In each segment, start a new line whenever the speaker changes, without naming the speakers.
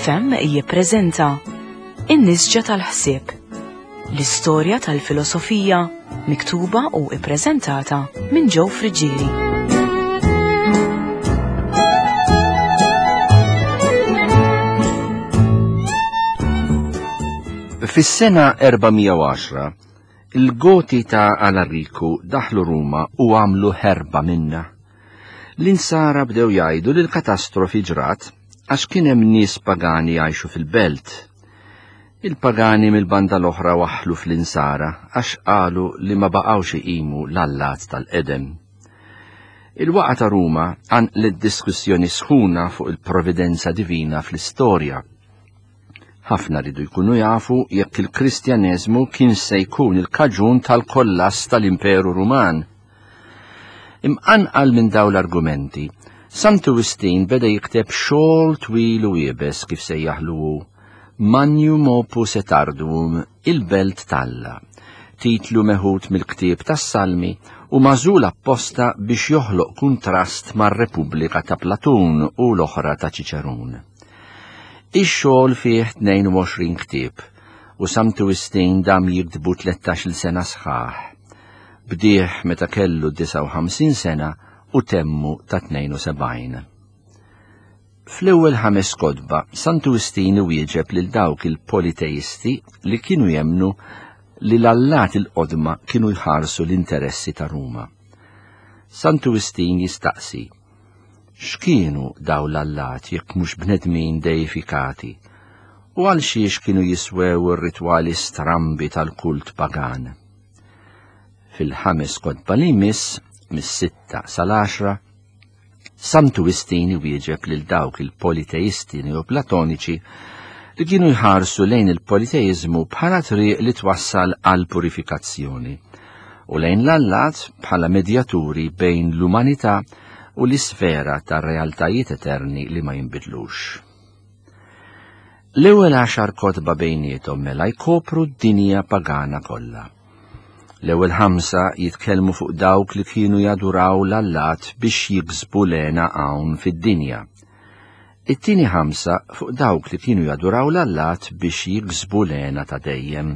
FM jippreżenta In-Nisġa tal-Ħsieb, l-istorja tal-filosofija miktuba u ippreżentata minn Joe Friggieri.
Fis-sena 410, il-Goti ta' Alariku daħlu Ruma u għamlu ħerba minna. L-insara bdew jgħidu li l-katastrofi ġrat għax kien hemm nies pagani jgħixu fil-belt. Il-pagani mill-banda l-oħra waħħlu fl-insara għax qalu li ma baqgħux iqimu l-allat tal-qedem. Il-waqgħa ta' Ruma qanqlet diskussjoni sħuna fuq il-providenza divina fl-istorja. Ħafna ridu jkunu jafu jekk il-Kristjaneżmu kien se jkun il-kaġun tal-kollass tal-Imperu Ruman. Imqanqal minn dawn l-argumenti, Santu Wistin beda jikteb xogħol twil u iebes kif sejjaħlu hu, Magnum Opus et Arduum, Il-Belt t'Alla, titlu meħud mill-ktieb tas-Salmi u magħżul apposta biex joħloq kuntrast mar-Repubblika ta' Platun u l-oħra ta' Ċiċerun. Ix-xogħol fih 22 ktieb u Santu Wistin dam jiktbu tlettax-il sena sħaħ. Bdieh meta kellu 59 sena u temmu ta' 72. Fl-ewwel ħames kotba, Santu Wistin iwieġeb lil dawk il-politeisti li kienu jemmnu li l-allat il-qodma kienu jħarsu l-interessi ta' Ruma. Santu Wistin jistaqsi, X'kienu daw l-allat jekk mhux bnedmin deifikati? U għal xiex kienu jiswew ir-ritwali strambi tal-kult pagan? Fil-ħames kotba li jmiss, mis-sitta sal-għaxra, Santu Wistin iwieġeb lil dawk il-politeisti neoplatoniċi li kienu jħarsu lejn il-politeiżmu bħala triq li twassal għal purifikazzjoni u lejn l-allat bħala medjaturi bejn l-umanità u l-isfera ta' realtajiet eterni li ma jinbidlux. L-ewwel għaxar kotba bejniethom mela jkopru d-dinja pagana kollha. L-ewwel ħamsa jitkellmu fuq dawk li kienu jaduraw l-allat biex jiksbu l-hena hawn fid-dinja. It-tieni ħamsa fuq dawk li kienu jaduraw l-allat biex jiksbu l-hena ta' dejjem.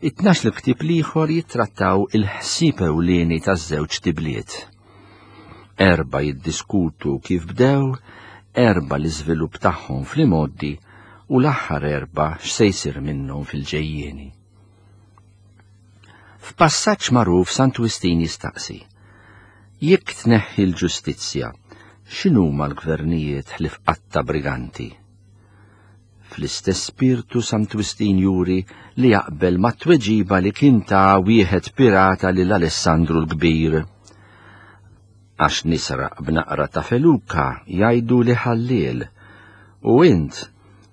It-tnax il-ktieb l-ieħor jittrattaw il-ħsieb ewlieni taż-żewġ tibliet. Erbgħa jiddiskutu kif bdew, erbgħa l-iżvilupp tagħhom fl-imgħoddi u l-aħħar erbgħa x'se jsir minnhom fil-ġejjieni. F'passaġġ magħruf Sant Wistin jistaqsi, Jekk tneħħi l-ġustizzja, x'inhuma l-gvernijiet ħlief qatta briganti? Fl-istess spirtu Sant Wistin juri li jaqbel mat-tweġiba li kien ta wieħed pirata lil Alessandru l-Kbir. Għax nisraq b'naqra ta' feluka jgħidu li ħalliel, u int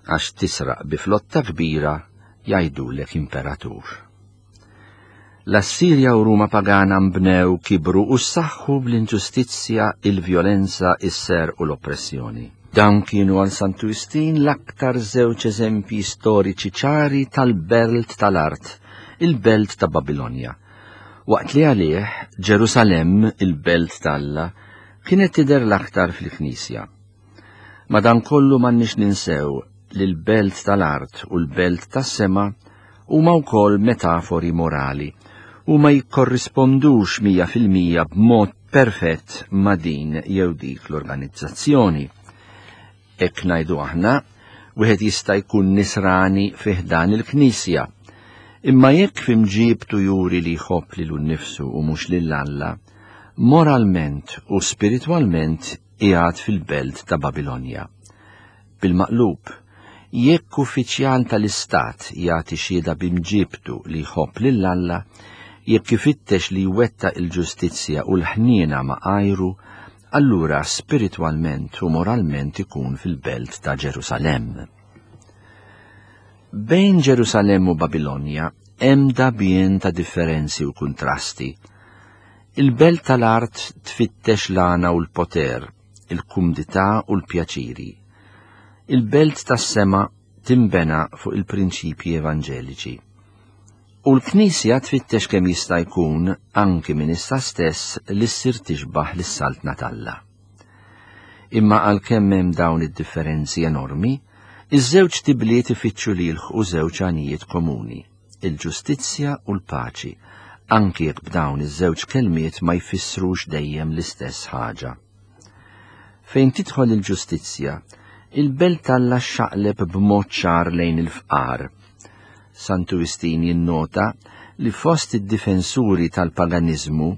għax tisraq bi flotta kbira jgħidulek imperatur. L-Assirja u Ruma pagana nbnew, kibru u ssaħħu bl-inġustizzja, il-vjolenza, is-serq u l-oppressjoni. Dawn kienu għal Santu Wistin l-aktar żewġ eżempji storiċi ċari tal-belt tal-art, il-belt ta' Babilonja. Waqt li għalih, Ġerusalemm, il-belt t'Alla, kienet tidher l-aktar fil-Knisja. Madankollu m'għandniex ninsew li l-belt tal-art u l-belt tas-sema huma wkoll metafori morali u ma jikkorrispondux 100% b'mod perfett ma' din jew dik l-organizzazzjoni. Hekk ngħidu aħna, wieħed jista' jkun nisrani fi ħdan il-Knisja. Imma jekk fi mġiebtu juri li jħobb lilu nnifsu u mhux lil Alla, moralment u spiritwalment qiegħed fil-belt ta' Babilonja. Bil-maqlub, jekk uffiċjal tal-istat jagħti xhieda bi mġiebtu li jħobb lil Alla, jekk ifittex li jwettaq il-ġustizzja u l-ħniena ma' għajru, allura spiritwalment u moralment ikun fil-belt ta' Ġerusalemm. Bejn Ġerusalemm u Babilonja hemm dagħbien ta' differenzi u kuntrasti. Il-belt tal-art tfittex l-għana u l-poter, il-kumdità u l-pjaċiri. Il-belt tas-sema tinbena fuq il-prinċipji evanġeliċi. U l-Knisja tfittex kemm jista' jkun, anki minn issa stess, li ssir tixbah lis-Saltna t'Alla. Imma għalkemm hemm dawn id-differenzi enormi, Iż-żewġt ibliet ifittxu li jilħqu żewġ għanijiet komuni, il-ġustizzja u l-paċi, anki jekk b'dawn iż-żewġ kelmiet ma jfissrux dejjem l-istess ħaġa. Fejn tidħol il-ġustizzja, il-belt t'Alla xxaqleb b'mod ċar lejn il-fqar. Santu Wistin jinnota li fost id-difensuri tal-paganiżmu,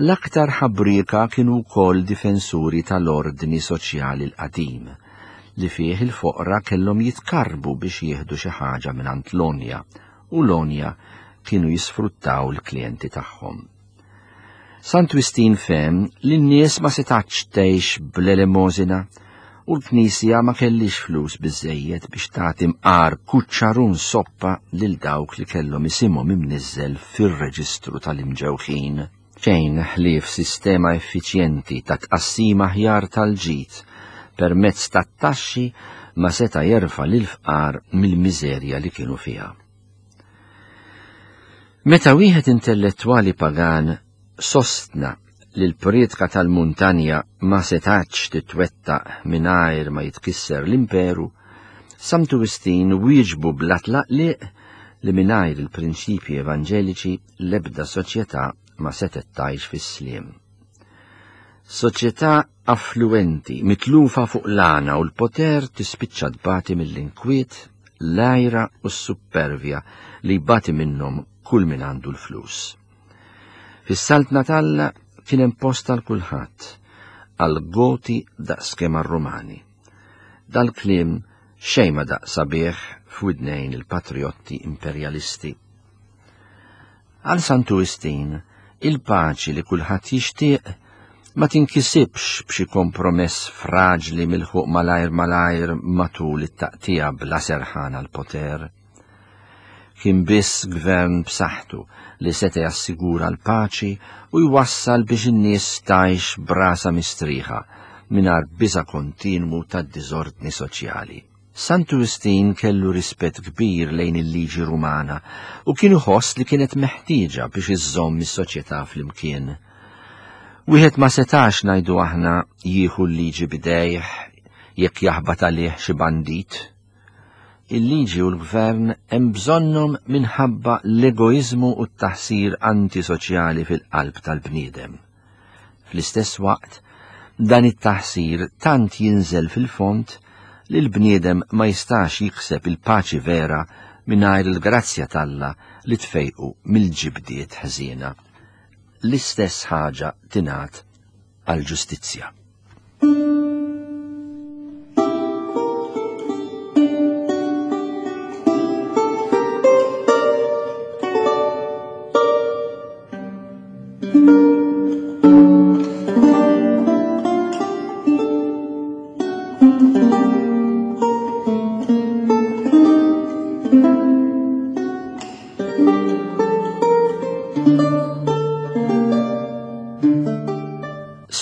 l-aktar ħabrieka kienu wkoll difensuri tal-ordni soċjali l-qadim, li fih il-foqra kellhom jitkarrbu biex jieħdu xi ħaġa mingħand l-għonja u l-għonja kienu jisfruttaw l-klijenti tagħhom. Sant Wistin fehem li n-nies ma setgħetx tgħix bl-elemosina u l-Knisja ma kellhiex flus biżżejjed biex tagħti mqar kuċċarun soppa lil dawk li kellhom isimhom imniżżel fir-reġistru tal-imġewħin. Xejn ħlief sistema effiċjenti ta' tqassim aħjar tal-ġid permezz tat-taxxi ma seta' jerfa' lill-fqar mill-miżerja li kienu fiha. Meta wieħed intellettwali pagan sostna li l-prietka tal-muntanja ma setgħetx titwettaq mingħajr ma jitkisser l-imperu, Santu Wistin wieġbu bla tlaqliq li mingħajr il-prinċipji evanġeliċi l-ebda soċjetà ma setgħet tgħix fis-sliem. Soċjetà affluwenti, mitlufa fuq l-għana u l-poter tispiċċa tbati mill-inkwiet, l-għira u s-suppervja li jbati minnhom kull min għandu l-flus. Fis-saltna t'Alla kien hemm post għal kulħadd, għal Goti daqskemm għar-Rumani. Dal-kliem xejn ma daqq sabiħ f'widnejn il-patrijotti imperjalisti. Għal Santu Wistin, il-paċi li kulħadd jixtieq ma tinkisibx b'xi kompromess fraġli milħuq malajr malajr matul it-taqtiegħa bla serħan għall-poter. Kien biss gvern b'saħħtu li seta' jassigura l-paċi u jwassal biex in-nies tgħix b'rasha mistrieħa mingħajr biża' kontinwu tad-diżordni soċjali. Santu Wistin kellu rispett kbir lejn il-liġi Rumana u kien iħoss li kienet meħtieġa biex iżżomm is-soċjetà flimkien. Wieħed ma setax ngħidu aħna jieħu l-liġi b'idejh jekk jaħbat għalih xi bandit. Il-liġi u l-gvern hemm bżonnhom minħabba l-egoiżmu u t-taħsir antisoċjali fil-qalb tal-bniedem. Fl-istess waqt, dan it-taħsir tant jinżel fil-fond li l-bniedem ma jistax jikseb il-paċi vera mingħajr il-grazzja t'Alla li tfejqu mill-ġibdiet ħżiena. L-istess ħaġa tingħad għall-ġustizzja.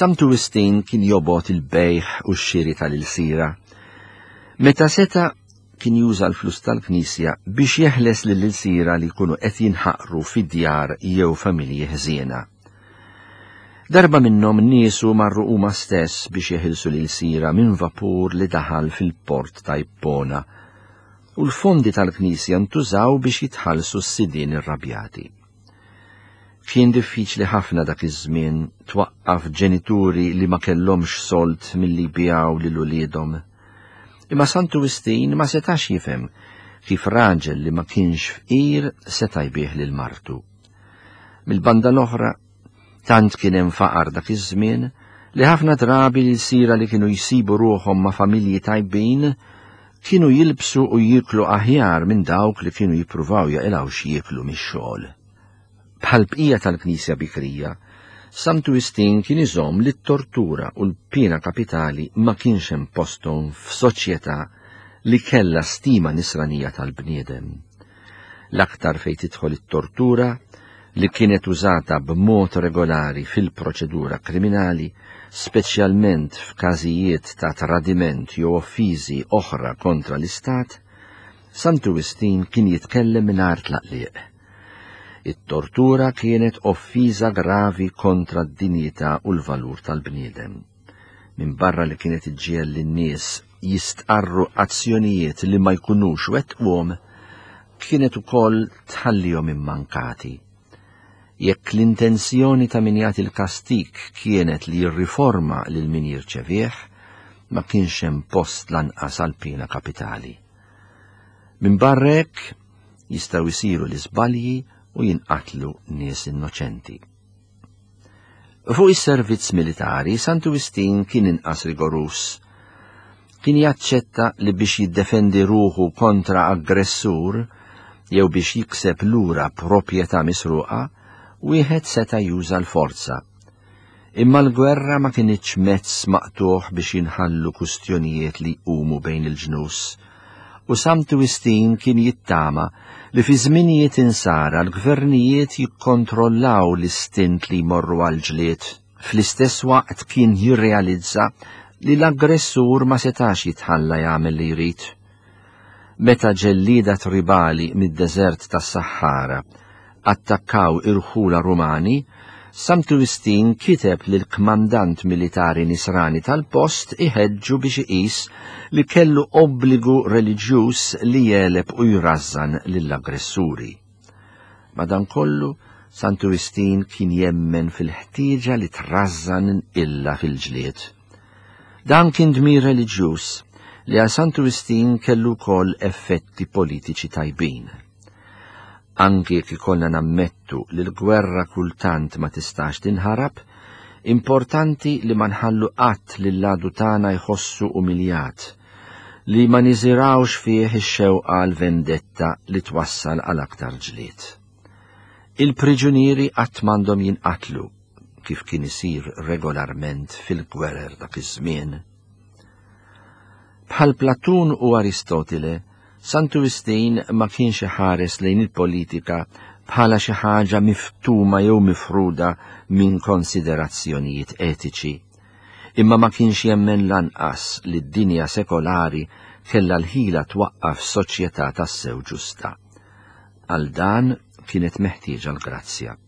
Santu Wistin kien jobgħod il-bejgħ u x-xiri tal-ilsira. Meta seta' kien juża l-flus tal-Knisja biex jeħles lill-ilsira li jkunu qed jinħaqru fi djar jew familji ħżiena. Darba minnhom niesu marru huma stess biex jeħilsu l-ilsira minn vapur li daħal fil-port ta' Ippona, u l-fondi tal-Knisja ntużaw biex jitħallsu s-sidien irrabjati. Kien diffiċli ħafna dak iż-żmien twaqqaf ġenituri li ma kellhomx sold milli jbigħu lil uliedhom. Imma Santu Wistin ma setax jifhem kif raġel li ma kienx fqir seta' jbigħ lil martu. Mill-banda l-oħra, tant kien hemm faqar dak iż-żmien li ħafna drabi l-ilsira li kienu jsibu ruħhom ma' familji tajbin kienu jilbsu u jieklu aħjar minn dawk li kienu jippruvaw jaqilgħu x'jieklu mix-xogħol. Bħall-bqija tal-Knisja bikrija, Santu Wistin kien iżomm li t-tortura u l-piena kapitali ma kienx hemm posthom f'soċjetà li kellha stima nisranija tal-bniedem. L-aktar fejn tidħol it-tortura, li kienet użata b'mod regolari fil-proċedura kriminali, speċjalment f'każijiet ta' tradiment jew offiżi oħra kontra l-Istat, Santu Wistin kien jitkellem mingħajr tlaqliq. It-tortura kienet offiża gravi kontra d-dinjità u l-valur tal-bniedem. Minbarra li kienet iġġiegħel lin-nies jistqarru azzjonijiet li ma jkunux wettquhom kienet ukoll tħallihom immankati. Jekk l-intenzjoni ta' min jagħti l-kastig kienet li jirriforma lil min jirċevih, ma kienx hemm post lanqas għal piena kapitali. Minbarra hekk, jistgħu jsiru l-iżbalji u jinqatlu nies innoċenti. Fuq is-servizz militari, Santu Wistin kien inqas rigoruż. Kien jaċċetta li biex jiddefendi ruħu kontra aggressur jew biex jikseb lura proprjetà misruqa, wieħed seta' juża l-forza. Imma l-gwerra ma kinitx mezz maqtugħ biex jinħallu kustjonijiet li jqumu bejn il-ġnus, u Santu Wistin kien jittama li fi żminijiet insara l-gvernijiet jikkontrollaw l-istint li jmorru għall-ġlied. Fl-istess waqt kien jirrealizza li l-aggressur ma setax jitħalla jagħmel li jrid. Meta ġellieda tribali mid-deżert tas-Saħara attakkaw irħula Rumani, Santu Wistin kiteb lill-kmandant militari Nisrani tal-post iħeġġu biex iqis li kellu obbligu reliġjuż li jegħleb u jrażżan lill-aggressuri. Madankollu, Santu Wistin kien jemmen fil-ħtieġa li trażżan illa fil-ġlied. Dan kien dmir reliġjuż li għal Santu Wistin kellu wkoll effetti politiċi tajbin. Anki jekk ikollna nammettu li l-gwerra kultant ma tistax tinħarab, importanti li ma nħallu qatt lill-għadu tagħna jħossu umiljat, li ma niżirgħux fih ix-xewqa għal vendetta li twassal għal aktar ġlied. Il-priġunieri qatt m'għandhom jinqatlu, kif kien isir regolarment fil-gwerer dak iż-żmien. Bħal Platun u Aristotile, Santu Wistin ma kienx iħares lejn il-politika bħala xi ħaġa miftuma jew mifruda minn konsiderazzjonijiet etiċi. Imma ma kienx jemmen lanqas li d-dinja sekolari kellha l-ħila twaqqaf soċjetà tassew ġusta. Għal dan kienet meħtieġa l-grazzja.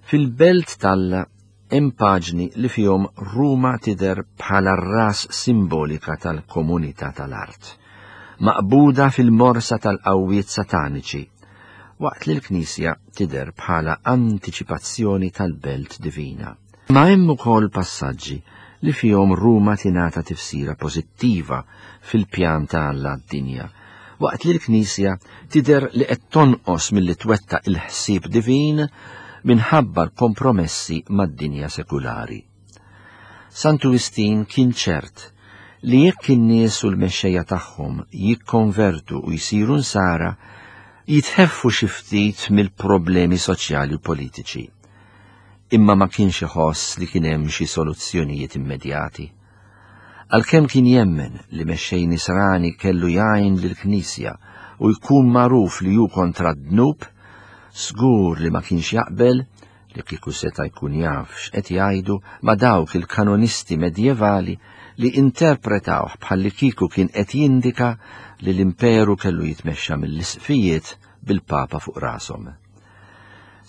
Fil-belt t'Alla Hemm paġni li fihom Ruma tidher bħala r-ras simbolika tal-komunità tal-art, maqbuda fil-morsa tal-qawwiet sataniċi, waqt li l-Knisja tidher bħala antiċipazzjoni tal-belt divina. Ma hemm ukoll passaġġi li fihom Ruma tingħata tifsira pożittiva fil-pjan ta' Alla għad-dinja, waqt li l-Knisja tidher li qed tonqos milli twettaq il-ħsieb divin minħabba l-kompromessi mad-dinja sekulari. Santu Wistin kien ċert li jekk in-nies u l-mexxejja tagħhom jikkonvertu u jsiru nsara, jitħeffu xi ftit mill-problemi soċjali u politiċi. Imma ma kienx iħoss li kien hemm xi soluzzjonijiet immedjati. Għalkemm kien jemmen li mexxej Nisrani kellu jgħin lill-Knisja u jkun magħruf li hu kontra d-dnub, żgur li ma kienx jaqbel, li kieku seta' jkun jaf x'qed jgħidu, ma' dawk il-kanonisti medjevali li interpretawh bħallikieku kien qed jindika li l-imperu kellu jitmexxa mill-isqfijiet bil-Papa fuq rashom.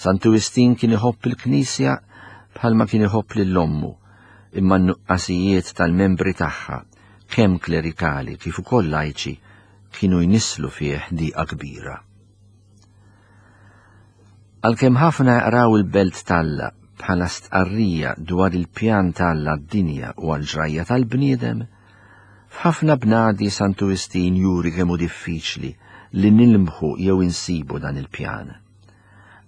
Santu Wistin kien iħobb il-Knisja bħalma kien iħobb lil ommu, imma n-nuqqasijiet tal-membri tagħha, kemm klerikali kif ukoll lajċi, kienu jnisslu fih diqa kbira. Għalkemm ħafna jaqraw il-Belt t'Alla bħala stqarrija dwar il-pjan t'Alla għad-dinja u għall-ġrajja tal-bniedem, f'ħafna bnadi Santu Wistin juri kemm hu diffiċli li nilmħu jew insibu dan il-pjan.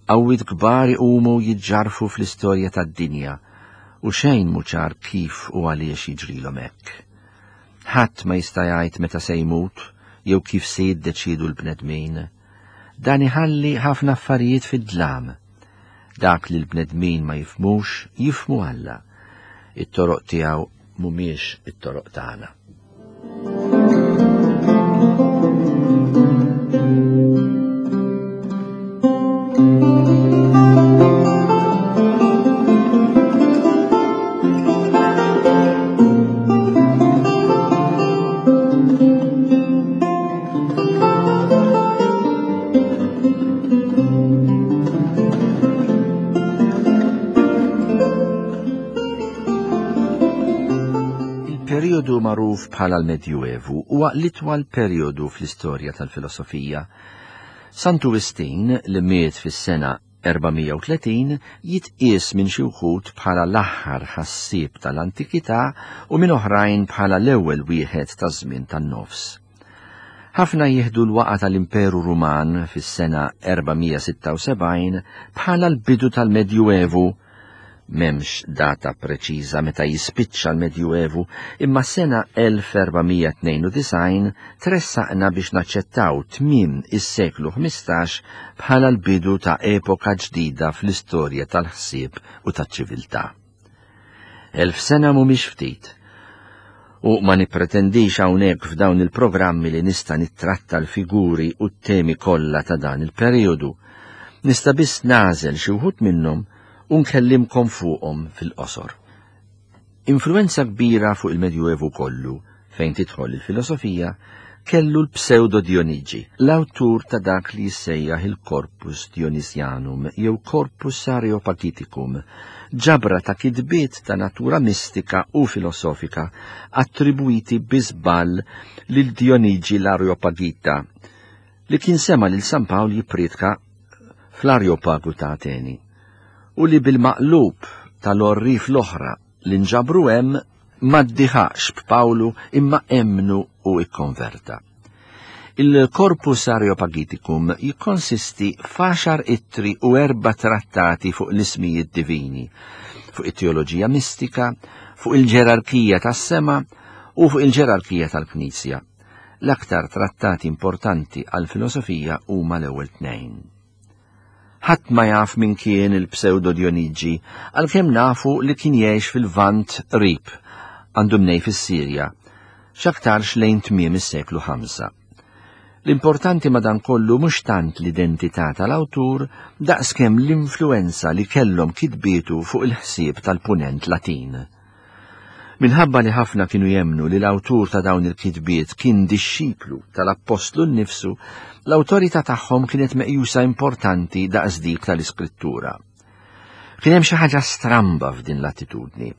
Qawwiet kbar iqumu u jiġġarrfu fl-istorja tad-dinja u xejn mhu ċar kif u għaliex jiġrilhom hekk. Ħadd ma jista' jgħid meta se jmut jew kif se jiddeċiedu l-bnedmin. Dan iħalli ħafna affarijiet fid-dlam. Dak li l-bnedmin ma jifhmux, jifhmu Alla. It-toroq tiegħu mhumiex it-toroq tagħna. Il-perjodu magħruf bħala l-Medjuevu huwa l-itwal perjodu fl-istorja tal-filosofija. Santu Wistin, li miet fis-sena 430, jitqies minn xi wħud bħala l-aħħar ħassieb tal-antikità u minn oħrajn bħala l-ewwel wieħed taż-żmien tan-nofs. Ħafna jieħdu l-waqgħa tal-Imperu Ruman fis-sena 476 bħala l-bidu tal-Medjuevu. M'hemmx data preċiża meta jispiċċa l-Medjuevu, imma s-sena 1492 tressaqna biex naċċettaw tmiem is-seklu 15 bħala l-bidu ta' epoka ġdida fl-istorja tal-ħsieb u taċ-ċiviltà. 1000 sena mhumiex ftit. U ma nippretendix hawnhekk f'dawn il-programmi li nista' nittratta l-figuri u t-temi kollha ta' dan il-perijodu. Nista' biss nagħżel xi wħud minnhom u nkellimkom fuqhom fil-qosor. Influwenza kbira fuq il-Medjuevu kollu, fejn tidħol il-filosofija, kellu l-Pseudo Dionigi, l-awtur ta' dak li jissejjaħ il-Corpus Dionisianum jew Corpus Areopagiticum, ġabra ta' kitbiet ta' natura mistika u filosofika attribwiti bi żball lil Dionigi l-Areopagita, li kien sema' lil San Pawl jipprietka fl-Areopagu ta' Ateni, u li bil-maqlub tal-għorrief l-oħra li nġabru hemm ma ddiħaqx b'Pawlu imma emmnu u ikkonverta. Il-Corpus Areopagiticum jikkonsisti f'għaxar ittri u erba' trattati fuq l-ismijiet divini, fuq it-teoloġija mistika, fuq il-ġerarkija tas-sema u fuq il-ġerarkija tal-Knisja. L-aktar trattati importanti għall-filosofija huma l-ewwel tnejn. Ħadd ma jaf min kien il-Pseudo Dionigi, għalkemm nafu li kien jgħix fil-Lvant qrib, għandu mnej fis-Sirja, x'aktarx lejn tmiem is-seklu 5. L-importanti madankollu mhux tant l-identità tal-awtur daqskemm l-influwenza li kellhom kitbietu fuq il-ħsieb tal-Punent Latin. Minħabba li ħafna kienu jemmnu li l-awtur ta' dawn il-kitbiet kien dixxiplu tal-appostlu nnifsu, l-awtorità tagħhom kienet meqjusa importanti daqs dik tal-Iskrittura. Kien hemm xi ħaġa stramba f'din l-attitudni,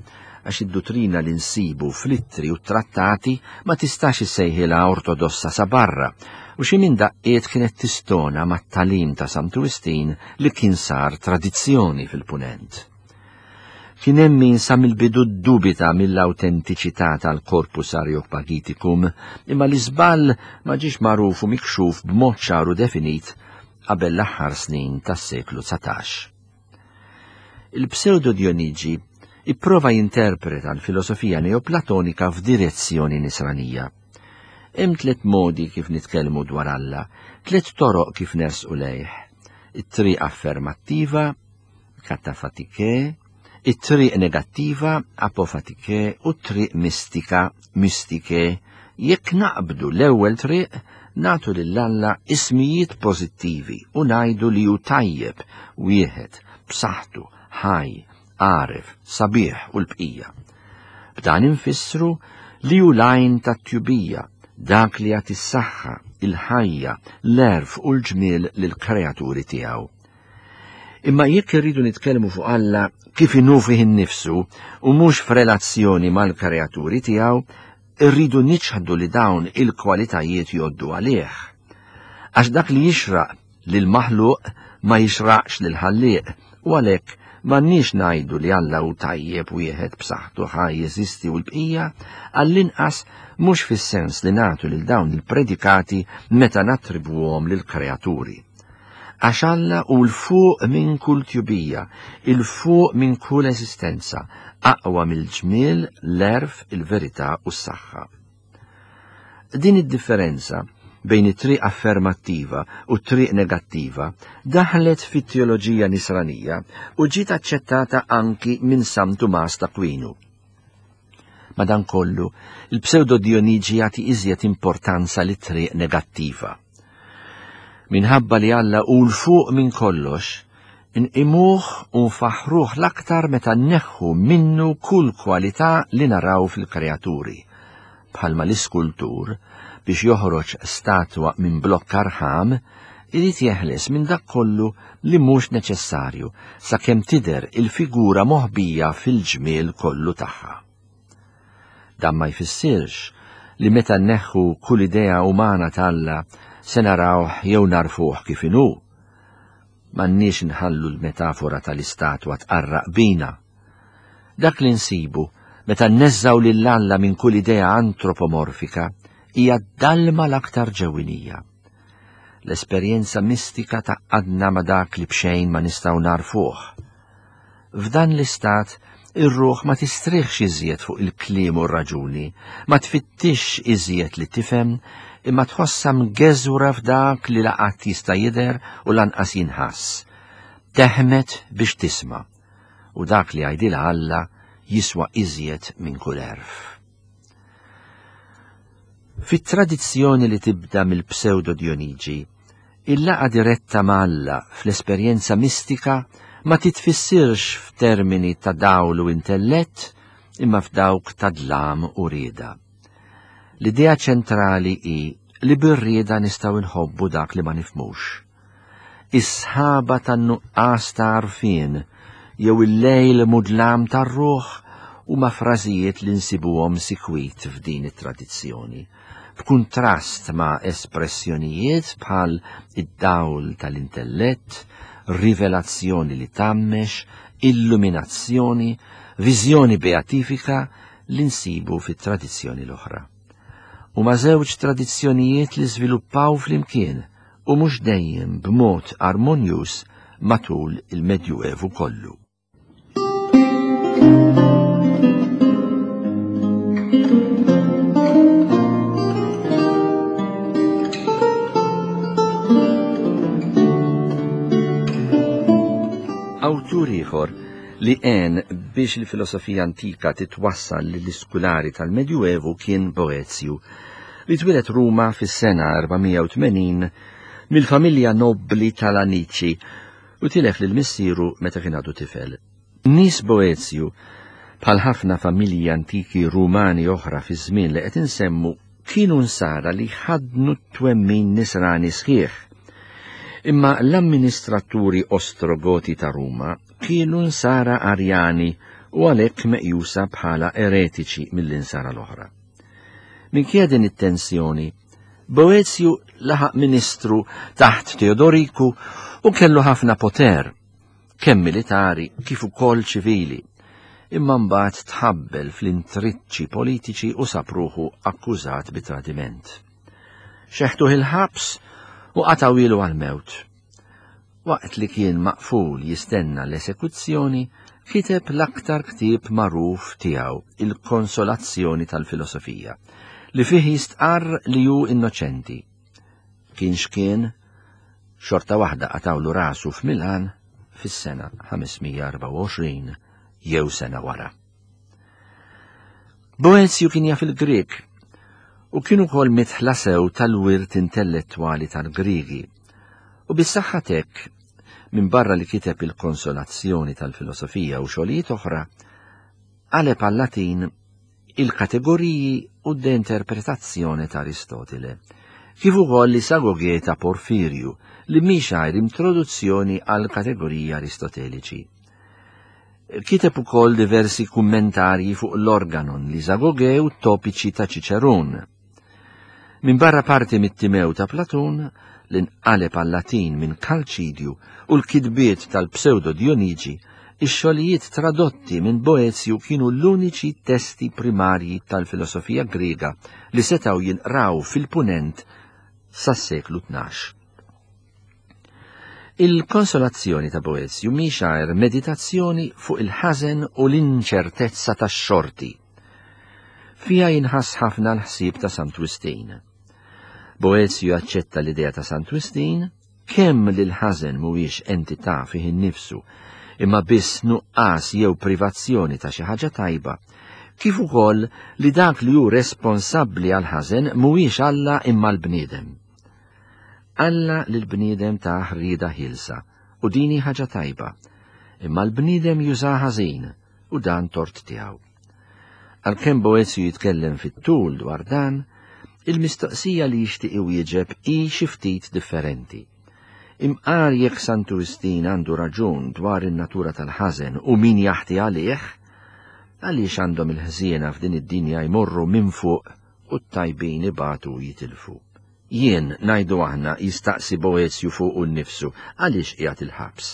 għax id-duttrina li nsibu fl-ittri u t-trattati ma tistax issejħilha ortodossa sa barra, u xi minn daqqiet kienet tistona mat-tagħlim ta' Santu Wistin li kien sar tradizzjoni fil-Punent. Kien hemm min sa mill-bidu ddubita mill-awtentiċità tal-Corpus Areopagiticum, imma l-iżball ma ġiex magħruf u mikxuf b'mod ċar u definit qabel l-aħħar snin tas-seklu 19. Il-Pseudo Dionigi ipprova jinterpreta l-filosofija Neoplatonika f'direzzjoni nisranija. Hemm tliet modi kif nitkellmu dwar Alla, tliet toroq kif nersqu lejh. It-triq affermattiva, katafatike, it-triq negattiva, apofatike, u t-triq mistika, mistike. Jekk naqbdu l-ewwel triq, nagħtu lil Alla ismijiet pożittivi u ngħidu li hu tajjeb, wieħed, b'saħħtu, ħaj, għaref, sabiħ u l-bqija. B'dan infissru li hu l-għajn tat-tjubija, dak li jagħti s-saħħa, il-ħajja, l-għerf u l-ġmiel lill-kreaturi tiegħu. Imma jekk irridu nitkellmu fuq Alla kif inhu fih innifsu u mhux f'relazzjoni mal-kreaturi tiegħu, irridu niċħdu li dawn il-kwalitajiet jgħoddu għalih. Għax dak li jixraq lil maħluq ma jixraqx lil ħallieq u għalhekk m'għandniex ngħidu li Alla hu tajjeb wieħed b'saħħtu ħaj jeżisti u l-bqija, għall-inqas mhux fis-sens li nagħtu lil dawn il-predikati meta nattribwuhom lill-kreaturi. Għax Alla hu 'l fuq minn kull tjubija, 'il fuq minn kull eżistenza, aqwa mill-ġmiel, l-għerf, il-verità u s-saħħa. Din id-differenza bejn it-triq affermattiva u t-triq negattiva daħlet fit-teoloġija nisranija u ġiet aċċettata anki minn San Tumas t'Akwinu. Madankollu, il-Pseudo Dionigi jagħti iżjed importanza lit-triq negattiva. Minħabba li Alla hu 'l fuq minn kollox, inqimuh u nfaħħruh l-aktar meta nneħħu minnu kull kwalità li naraw fil-kreaturi, bħalma l-iskultur, biex joħroġ statwa minn blokka rħam, irid jeħles minn dak kollu li mhux neċessarju sakemm tidher il-figura moħbija fil-ġmiel kollu tagħha. Dan ma jfissirx li meta nneħħu kull idea umana t'Alla se narawh jew nagħrfuh kif inhu. M'għandniex nħallu l-metafora tal-istatwa tqarraq bina. Dak li nsibu meta nneżżgħu lil Alla minn kull idea antropomorfika hija d-dalma l-aktar ġewwinija. L-esperjenza mistika tgħaqqadna ma' dak li b'xejn ma nistgħu nagħrfuh. F'dan l-istat, ir-ruħ ma tistrieħx iżjed fuq il-kliem u r-raġuni, ma tfittixx iżjed li tifhem, imma tħossha mgeżwra f'dak li la qatt jista' jidher u lanqas jinħass. Teħmed biex tisma', u dak li jgħidilha Alla jiswa iżjed minn kull għerf. Fit-tradizzjoni li tibda mill-Pseudo Dionigi, il-laqgħa diretta ma' Alla fl-esperjenza mistika ma titfissirx f'termini ta' dawl u intellett imma f'dawk ta' dlam u rieda. L-idea ċentrali hi li bir-rieda nistgħu nħobbu dak li ma nifhmux. Is-sħaba tan-nuqqas ta' għarfien jew il-lejl mudlam tar-ruħ huma frażijiet li nsibuhom sikwit f'din it-tradizzjoni, b'kuntrast ma' espressjonijiet bħal id-dawl tal-intellett, rivelazzjoni li tgħammex, illuminazzjoni, viżjoni beatifika li nsibu fit-tradizzjoni l-oħra. Huma żewġ tradizzjonijiet li żviluppaw flimkien u mhux dejjem b'mod armonjuż matul il-Medjuevu kollu. Awtur ieħor li għen biex il-filosofija antika titwassal lill-iskulari tal-Medjuevu kien Boezju, li twieled Ruma fis-sena 480 mill-familja nobbli tal-Anici u tilef lil missieru meta kien għadu tifel. Nies Boezju, bħal ħafna familji antiki Rumani oħra fiż-żmien li qed insemmu, kienu nsara li ħaddnu t-twemmin nisrani sħiħ. Imma l-amministraturi Ostrogoti ta' Ruma kienu nsara Arjani u għalhekk meqjusa bħala eretiċi mill-insara l-oħra. Minkejja din it-tensjoni, Boezju laħaq ministru taħt Teodoriku u kellu ħafna poter, kemm militari kif ukoll ċivili. Imma mbagħad tħabbel fl-intriċċi politiċi u sab ruħu akkużat bi tradiment. Xeħtuh il-ħabs u qatgħuhielu għall-mewt. Waqt li kien maqful jistenna l-esekuzzjoni, kiteb l-aktar ktieb magħruf tiegħu, Il-Konsolazzjoni tal-Filosofija, li fih jistqarr li hu innoċenti. Kien x'kien, xorta waħda qatgħulu rasu f'Milan fis-sena 524 jew sena wara. Boezju kien jaf il-Grieg u kien ukoll midħla sew tal-wirt intellettwali tal-Griegi. U bis-saħħa t'hekk, minbarra li kiteb il-Konsolazzjoni tal-Filosofija u xogħlijiet oħra, qaleb għal-Latin il-kategoriji u De Interpretazione ta' Aristotile, kif ukoll l-Isagoge ta' Porfirju li mhix għajr introduzzjoni għall-kategoriji Aristoteliċi. Kiteb ukoll diversi kummentarji fuq l-Organon, l-Isagoge u t-topiċi ta' Ċiċerun. Minbarra parti mit-Timew ta' Platun, li nqaleb għal-Latin minn Kalċidju u l-kitbiet tal-Pseudo Dionigi, ix-xogħlijiet tradotti minn Boezju kienu l-uniċi testi primarji tal-filosofija Griega li setgħu jinqraw fil-Punent sas-seklu 12. Il-konsolazzjoni ta' Boezju mhix għajr meditazzjoni fuq il-ħażen u l-inċertezza tax-xorti. Fiha jinħass ħafna l-ħsieb ta' Sant Wistin. Boezju jaċċetta l-idea ta' Sant Wistin kemm li l-ħażen mhuwiex entità fih innifsu, imma biss nuqqas jew privazzjoni ta' xi ħaġa tajba, kif ukoll li dak li hu responsabbli għall-ħażen mhuwiex Alla imma l-bniedem. Alla lill-bniedem tah rieda ħielsa, u din hi ħaġa tajba, imma l-bniedem jużaha ħażin, u dan tort tiegħu. Għalkemm Boezju jitkellem fit-tul dwar dan, il-mistoqsija li jixtieq iwieġeb hi xi ftit differenti. Imqar jekk Santu Wistin għandu raġun dwar in-natura tal-ħażen u min jaħti għalih, Għaliex għandhom il-ħżiena f'din id-dinja jmorru minn fuq u t-tajbin ibatu u jitilfu? Jien, ngħidu aħna, jistaqsi Boezju fuqu nnifsu, għaliex qiegħed il-ħabs?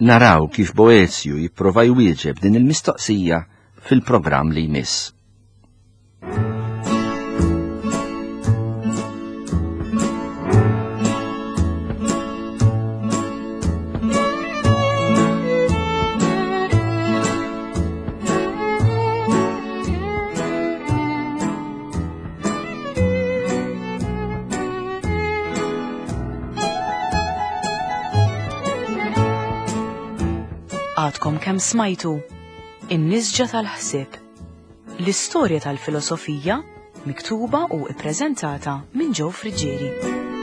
Naraw kif Boezju jipprova jwieġeb din il-mistoqsija fil-programm li jmiss.
Għadkom kemm smajtu In-nisġa tal-ħsieb. L-istorja tal-filosofija miktuba u ippreżentata minn Joe Friggieri.